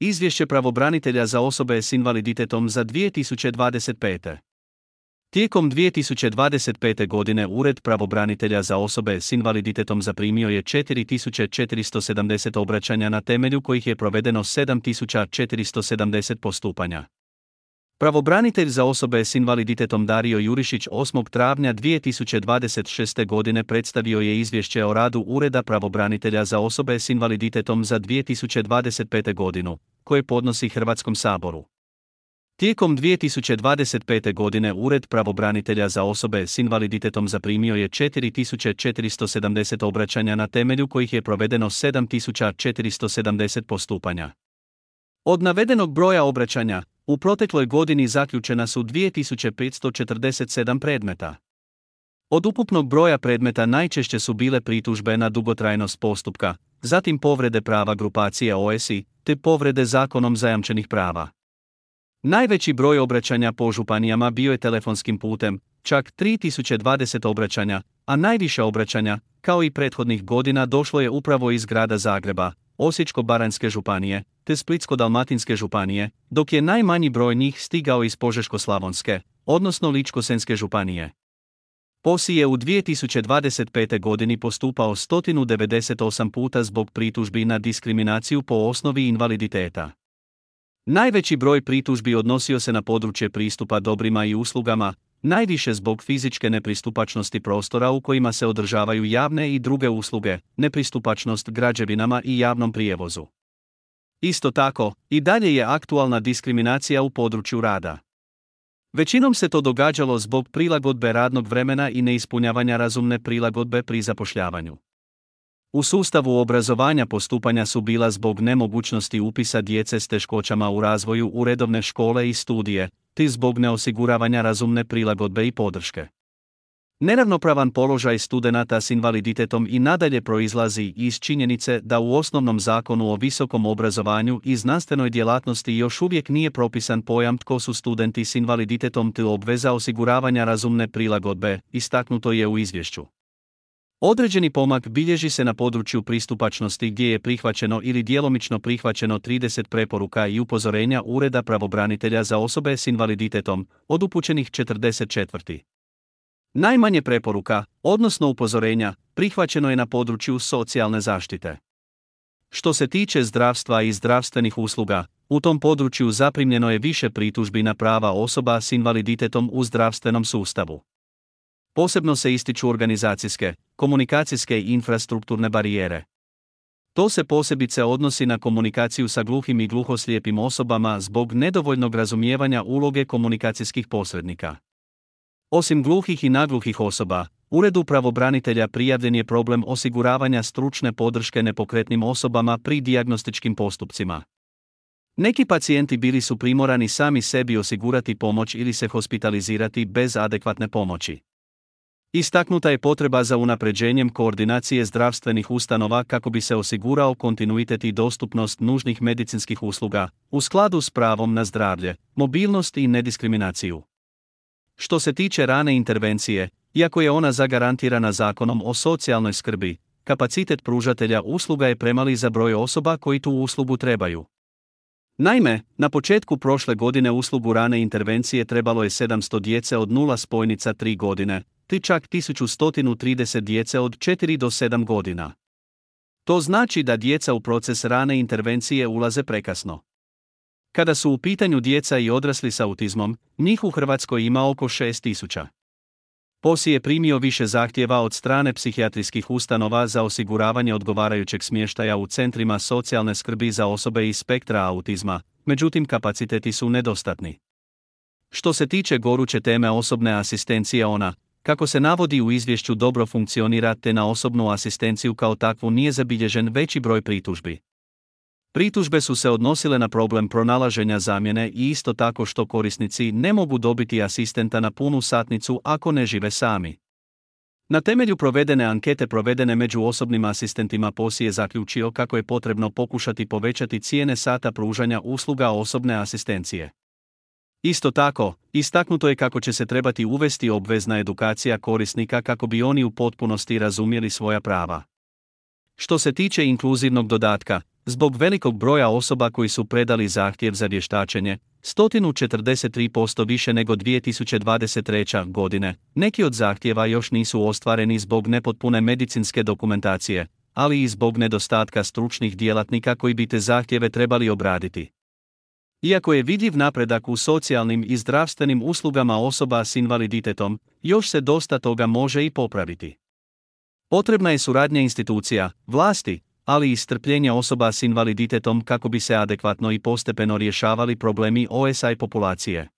Izvješće pravobranitelja za osobe s invaliditetom za 2025. Tijekom 2025. godine Ured pravobranitelja za osobe s invaliditetom zaprimio je 4470 obraćanja na temelju kojih je provedeno 7470 postupanja. Pravobranitelj za osobe s invaliditetom Dario Jurišić 8. travnja 2026. godine predstavio je izvješće o radu Ureda pravobranitelja za osobe s invaliditetom za 2025. godinu, koje podnosi Hrvatskom saboru. Tijekom 2025. godine Ured pravobranitelja za osobe s invaliditetom zaprimio je 4470 obraćanja na temelju kojih je provedeno 7470 postupanja. Od navedenog broja obraćanja, u protekloj godini zaključena su 2547 predmeta. Od ukupnog broja predmeta najčešće su bile pritužbe na dugotrajnost postupka, zatim povrede prava grupacije OSI, te povrede zakonom zajamčenih prava. Najveći broj obraćanja po županijama bio je telefonskim putem, čak 3020 obraćanja, a najviše obraćanja, kao i prethodnih godina, došlo je upravo iz grada Zagreba, Osječko-baranjske županije, te Splitsko-dalmatinske županije, dok je najmanji broj njih stigao iz Požeško-slavonske, odnosno Ličko-senjske županije. POSI je u 2025. godini postupao 198 puta zbog pritužbi na diskriminaciju po osnovi invaliditeta. Najveći broj pritužbi odnosio se na područje pristupa dobrima i uslugama, najviše zbog fizičke nepristupačnosti prostora u kojima se održavaju javne i druge usluge, nepristupačnost građevinama i javnom prijevozu. Isto tako, i dalje je aktualna diskriminacija u području rada. Većinom se to događalo zbog prilagodbe radnog vremena i neispunjavanja razumne prilagodbe pri zapošljavanju. U sustavu obrazovanja postupanja su bila zbog nemogućnosti upisa djece s teškoćama u razvoju u redovne škole i studije, te zbog neosiguravanja razumne prilagodbe i podrške. Neravnopravan položaj studenata s invaliditetom i nadalje proizlazi iz činjenice da u osnovnom zakonu o visokom obrazovanju i znanstvenoj djelatnosti još uvijek nije propisan pojam tko su studenti s invaliditetom te obveza osiguravanja razumne prilagodbe, istaknuto je u izvješću. Određeni pomak bilježi se na području pristupačnosti gdje je prihvaćeno ili djelomično prihvaćeno 30 preporuka i upozorenja Ureda pravobranitelja za osobe s invaliditetom, od upućenih 44. Najmanje preporuka, odnosno upozorenja, prihvaćeno je na području socijalne zaštite. Što se tiče zdravstva i zdravstvenih usluga, u tom području zaprimljeno je više pritužbi na prava osoba s invaliditetom u zdravstvenom sustavu. Posebno se ističu organizacijske, komunikacijske i infrastrukturne barijere. To se posebice odnosi na komunikaciju sa gluhim i gluhoslijepim osobama zbog nedovoljnog razumijevanja uloge komunikacijskih posrednika. Osim gluhih i nagluhih osoba, Uredu pravobranitelja prijavljen je problem osiguravanja stručne podrške nepokretnim osobama pri dijagnostičkim postupcima. Neki pacijenti bili su primorani sami sebi osigurati pomoć ili se hospitalizirati bez adekvatne pomoći. Istaknuta je potreba za unapređenjem koordinacije zdravstvenih ustanova kako bi se osigurao kontinuitet i dostupnost nužnih medicinskih usluga, u skladu s pravom na zdravlje, mobilnost i nediskriminaciju. Što se tiče rane intervencije, iako je ona zagarantirana Zakonom o socijalnoj skrbi, kapacitet pružatelja usluga je premali za broj osoba koji tu uslugu trebaju. Naime, na početku prošle godine uslugu rane intervencije trebalo je 700 djece od 0 spojnica 3 godine, te čak 1130 djece od 4 do 7 godina. To znači da djeca u proces rane intervencije ulaze prekasno. Kada su u pitanju djeca i odrasli s autizmom, njih u Hrvatskoj ima oko 6000. POSI je primio više zahtjeva od strane psihijatrijskih ustanova za osiguravanje odgovarajućeg smještaja u centrima socijalne skrbi za osobe iz spektra autizma, međutim kapaciteti su nedostatni. Što se tiče goruće teme osobne asistencije, ona, kako se navodi u izvješću, dobro funkcionira te na osobnu asistenciju kao takvu nije zabilježen veći broj pritužbi. Pritužbe su se odnosile na problem pronalaženja zamjene i isto tako što korisnici ne mogu dobiti asistenta na punu satnicu ako ne žive sami. Na temelju provedene ankete provedene među osobnim asistentima POSI je zaključio kako je potrebno pokušati povećati cijene sata pružanja usluga osobne asistencije. Isto tako, istaknuto je kako će se trebati uvesti obvezna edukacija korisnika kako bi oni u potpunosti razumjeli svoja prava. Što se tiče inkluzivnog dodatka, Zbog velikog broja osoba koji su predali zahtjev za vještačenje, 143% više nego 2023. godine, neki od zahtjeva još nisu ostvareni zbog nepotpune medicinske dokumentacije, ali i zbog nedostatka stručnih djelatnika koji bi te zahtjeve trebali obraditi. Iako je vidljiv napredak u socijalnim i zdravstvenim uslugama osoba s invaliditetom, još se dosta toga može i popraviti. Potrebna je suradnja institucija, vlasti, ali i strpljenje osoba s invaliditetom kako bi se adekvatno i postepeno rješavali problemi OSI populacije.